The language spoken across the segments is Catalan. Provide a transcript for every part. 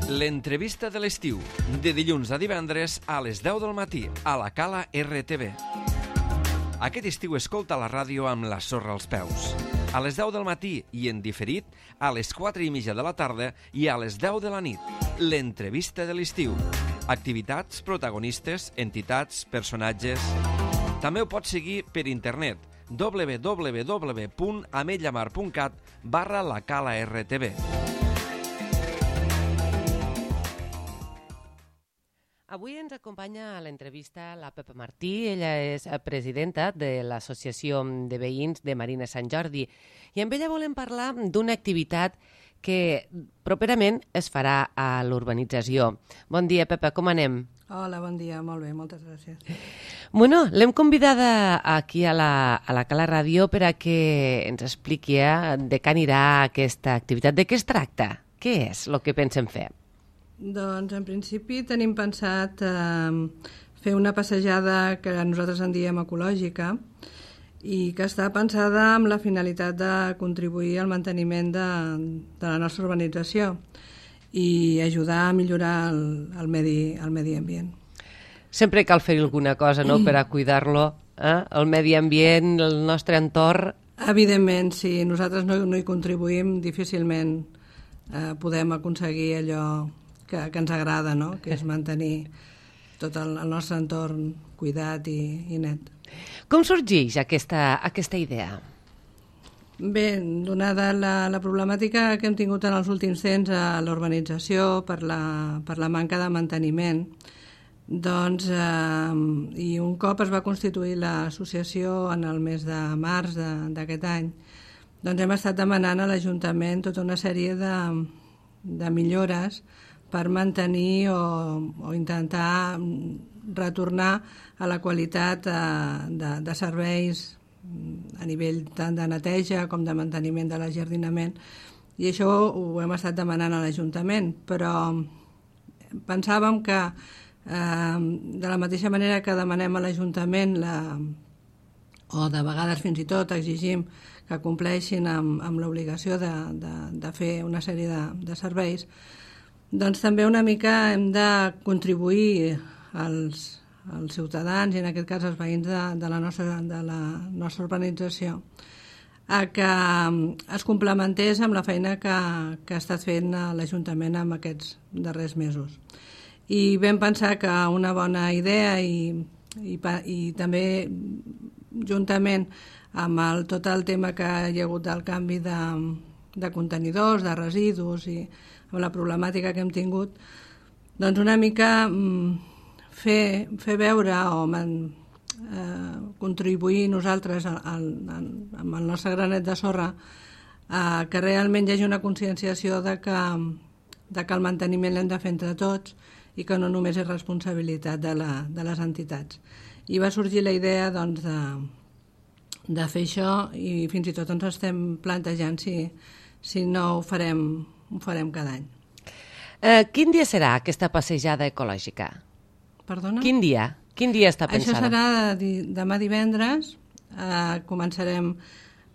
L'entrevista de l'estiu, de dilluns a divendres a les 10 del matí, a la Cala RTV. Aquest estiu escolta la ràdio amb la sorra als peus. A les 10 del matí i en diferit, a les 4:30 de la tarda i a les 10 de la nit. L'entrevista de l'estiu. Activitats, protagonistes, entitats, personatges... També ho pots seguir per internet www.ametlllamar.cat/lacala-rtv. Avui ens acompanya a l'entrevista la Pepa Martí. Ella és presidenta de l'Associació de Veïns de Marina Sant Jordi. I amb ella volem parlar d'una activitat que properament es farà a l'urbanització. Bon dia, Pepa, com anem? Hola, bon dia, molt bé, moltes gràcies. Bueno, l'hem convidada aquí a la Cala Ràdio per a que ens expliqui de què anirà aquesta activitat. De què es tracta? Què és el que pensem fer? Doncs, en principi, tenim pensat fer una passejada que nosaltres en diem ecològica i que està pensada amb la finalitat de contribuir al manteniment de la nostra urbanització i ajudar a millorar el medi ambient. Sempre cal fer alguna cosa, no?, per a cuidar-lo, el medi ambient, el nostre entorn. Evidentment, si nosaltres no hi contribuïm, difícilment podem aconseguir allò que ens agrada, no?, que és mantenir tot el nostre entorn cuidat i net. Com sorgeix aquesta idea? Bé, donada la problemàtica que hem tingut en els últims temps a l'urbanització per la manca de manteniment, doncs, i un cop es va constituir l'associació en el mes de març d'aquest any, doncs hem estat demanant a l'Ajuntament tota una sèrie de millores per mantenir o intentar retornar a la qualitat de serveis a nivell tant de neteja com de manteniment de l'ajardinament, i això ho hem estat demanant a l'Ajuntament, però pensàvem que de la mateixa manera que demanem a l'Ajuntament o de vegades fins i tot exigim que compleixin amb l'obligació de fer una sèrie de serveis, doncs també una mica hem de contribuir als ciutadans, i en aquest cas els veïns de la nostra urbanització, a que es complementés amb la feina que ha estat fent l'Ajuntament en aquests darrers mesos. I vam pensar que una bona idea i també juntament amb tot el tema que hi ha hagut del canvi de contenidors, de residus i amb la problemàtica que hem tingut, doncs una mica fer veure o contribuir nosaltres amb el nostre granet de sorra que realment hi hagi una conscienciació de que el manteniment l'hem de fer entre tots i que no només és responsabilitat de les entitats. I va sorgir la idea doncs, de fer això, i fins i tot ens estem plantejant si no ho farem cada any. Quin dia serà aquesta passejada ecològica? Perdona? Quin dia està pensada? Això serà demà divendres. Començarem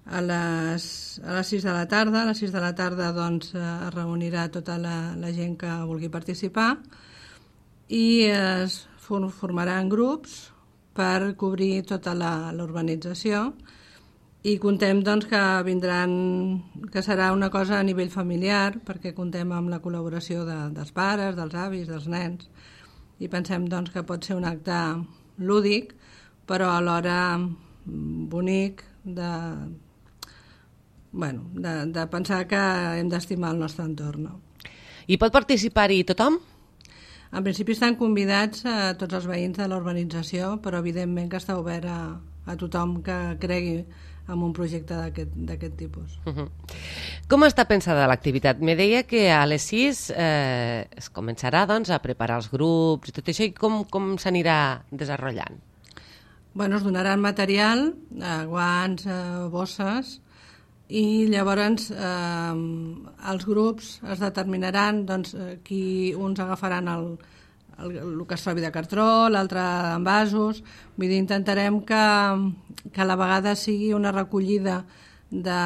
a les 6 de la tarda. A les 6 de la tarda doncs, es reunirà tota la gent que vulgui participar i es formaran grups per cobrir tota l'urbanització, i contem doncs, que serà una cosa a nivell familiar, perquè contem amb la col·laboració dels pares, dels avis, dels nens, i pensem doncs, que pot ser un acte lúdic, però alhora bonic de pensar que hem d'estimar el nostre entorn. No? I pot participar-hi tothom? En principi estan convidats a tots els veïns de la urbanització, però evidentment que està obert a tothom que cregui en un projecte d'aquest tipus. Com està pensada l'activitat? Me deia que a les 6 es començarà doncs, a preparar els grups i tot això, i com s'anirà desenvolupant? Bueno, es donaran material, guants, bosses, i llavors els grups es determinaran doncs, uns agafaran el que es trobi de cartró, l'altre en vasos. Vull dir, intentarem que a la vegada sigui una recollida de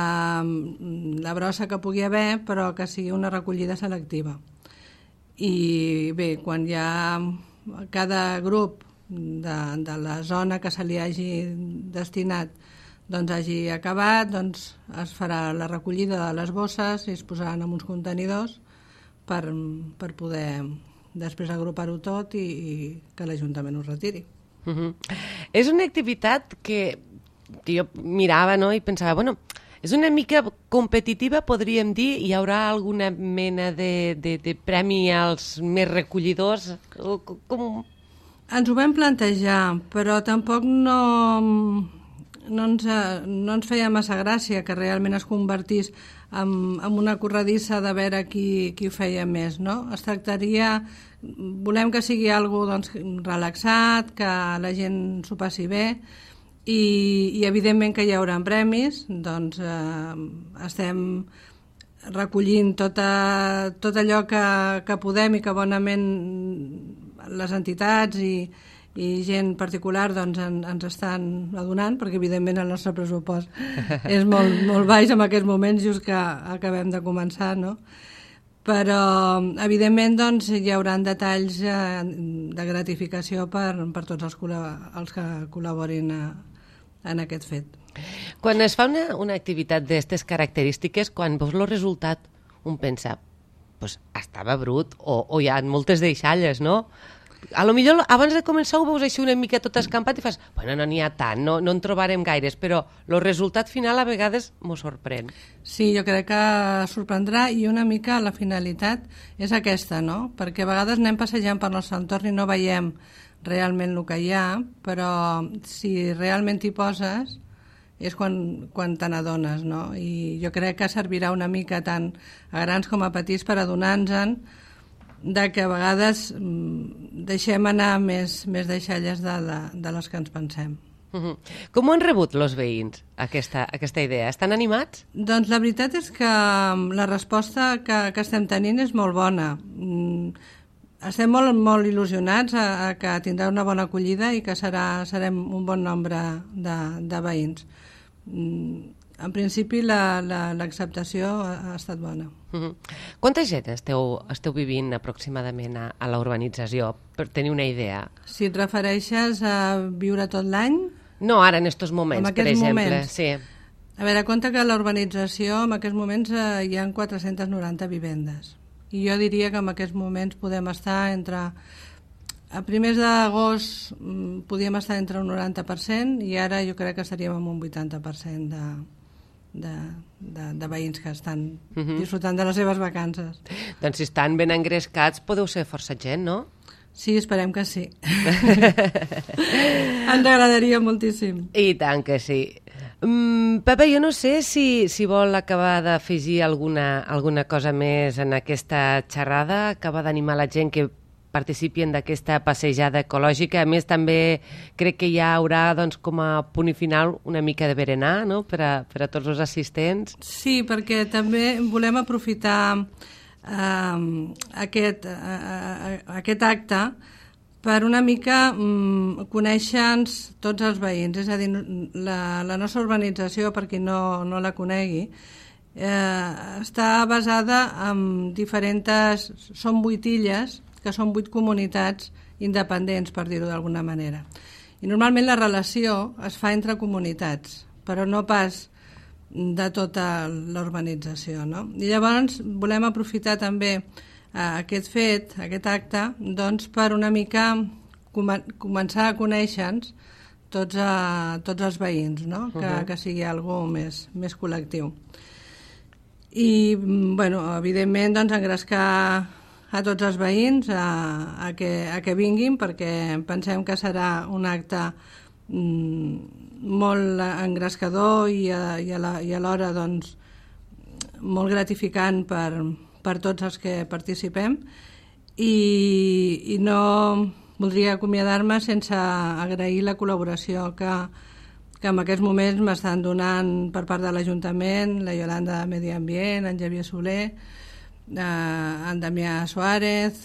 la brossa que pugui haver, però que sigui una recollida selectiva. I bé, quan ja cada grup de la zona que se li hagi destinat doncs hagi acabat, doncs es farà la recollida de les bosses i es posaran en uns contenidors per poder després agrupar-ho tot i que l'Ajuntament ho retiri. És una activitat que jo mirava, no?, i pensava, bueno, és una mica competitiva, podríem dir, hi haurà alguna mena de premi als més recollidors? Com... Ens ho vam plantejar, però tampoc no ens feia massa gràcia que realment es convertís en una corredissa de veure qui ho feia més, no? Es tractaria, volem que sigui algo doncs, relaxat, que la gent s'ho passi bé i evidentment que hi haurà premis, doncs estem recollint tot allò que podem i que bonament les entitats i gent particular doncs, ens estan adonant, perquè evidentment el nostre pressupost és molt, molt baix en aquests moments, just que acabem de començar, no? Però evidentment doncs, hi haurà detalls de gratificació per tots els que col·laborin en aquest fet. Quan es fa una activitat d'aquestes característiques, quan veus el resultat, un pensa, pues, estava brut, o hi ha moltes deixalles, no? A lo millor abans de començar ho veus així una mica tot escampat i fas, bueno, no n'hi ha tant, no en trobarem gaires, però el resultat final a vegades m'ho sorprèn. Sí, jo crec que sorprendrà i una mica la finalitat és aquesta, no? Perquè a vegades anem passejant per nostre entorn i no veiem realment el que hi ha, però si realment t'hi poses és quan te n'adones, no? I jo crec que servirà una mica tant a grans com a petits per adonar-nos-en de que a vegades deixem anar més deixalles de les que ens pensem. Com ho han rebut els veïns, aquesta idea? Estan animats? Doncs la veritat és que la resposta que estem tenint és molt bona. Estem molt il·lusionats a que tindrà una bona acollida i que serem un bon nombre de veïns. En principi l'acceptació ha estat bona. Quanta gent esteu vivint aproximadament a la urbanització, per tenir una idea? Si et refereixes a viure tot l'any? No, ara, en aquests moments, per exemple. Sí. A veure, compte que a la urbanització en aquests moments hi ha 490 vivendes. I jo diria que en aquests moments podem estar entre... A primers d'agost podíem estar entre un 90% i ara jo crec que estaríem en un 80% de veïns que estan disfrutant de les seves vacances. Doncs si estan ben engrescats podeu ser força gent, no? Sí, esperem que sí. Ens agradaria moltíssim. I tant que sí. Pepa, jo no sé si vol acabar d'afegir alguna cosa més en aquesta xerrada, acabar d'animar la gent que participin d'aquesta passejada ecològica. A més, també crec que hi haurà doncs, com a punt i final una mica de berenar, no?, per a tots els assistents. Sí, perquè també volem aprofitar aquest acte per una mica conèixer-nos tots els veïns. És a dir, la nostra urbanització, per qui no la conegui, està basada en diferents... Són 8 illes, que són 8 comunitats independents, per dir-ho d'alguna manera. I normalment la relació es fa entre comunitats, però no pas de tota l'urbanització, no? I llavors volem aprofitar també aquest fet, aquest acte, doncs per una mica començar a conèixer-nos tots els veïns, no? Que sigui algo més col·lectiu. I, bueno, evidentment, doncs, engrescar a tots els veïns a que vinguin, perquè pensem que serà un acte molt engrescador i alhora doncs, molt gratificant per tots els que participem i no voldria acomiadar-me sense agrair la col·laboració que en aquests moments m'estan donant per part de l'Ajuntament, la Iolanda de Medi Ambient, en Xavier Soler, en Damià Suárez,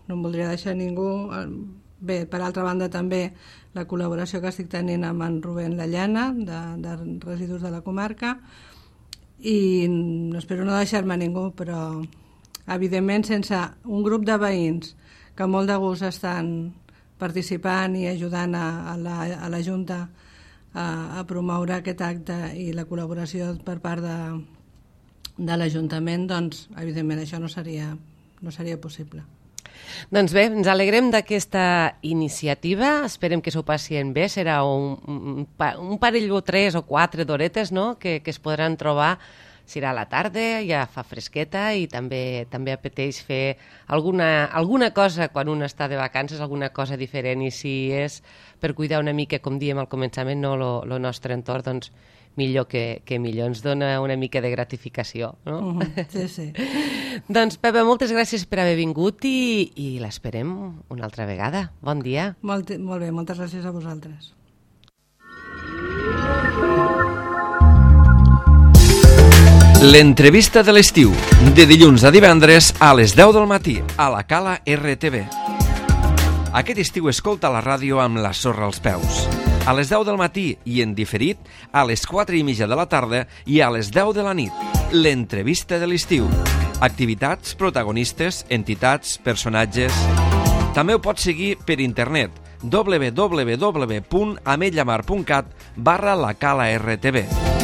no em voldria deixar ningú. Bé, per altra banda també la col·laboració que estic tenint amb en Rubén Lallana de Residus de la Comarca i espero no deixar-me ningú, però evidentment, sense un grup de veïns que molt de gust estan participant i ajudant a la Junta a promoure aquest acte i la col·laboració per part de l'Ajuntament, doncs, evidentment, això no seria possible. Doncs bé, ens alegrem d'aquesta iniciativa, esperem que s'ho passin bé, serà un parell o 3 o 4 d'horetes, no?, que es podran trobar. Serà a la tarda, ja fa fresqueta i també apeteix fer alguna cosa quan un està de vacances, alguna cosa diferent, i si és per cuidar una mica, com diem al començament, no, el nostre entorn, doncs millor que millor, ens dona una mica de gratificació, no? Sí, sí. Doncs, Pepa, moltes gràcies per haver vingut i l'esperem una altra vegada. Bon dia. Molt bé, moltes gràcies a vosaltres. L'entrevista de l'estiu, de dilluns a divendres a les 10 del matí, a la Cala RTV. Aquest estiu escolta la ràdio amb la sorra als peus. A les 10 del matí i en diferit a les 4:30 de la tarda i a les 10 de la nit. L'entrevista de l'estiu. Activitats, protagonistes, entitats, personatges... També ho pots seguir per internet www.ametlllamar.cat/la Cala RTV.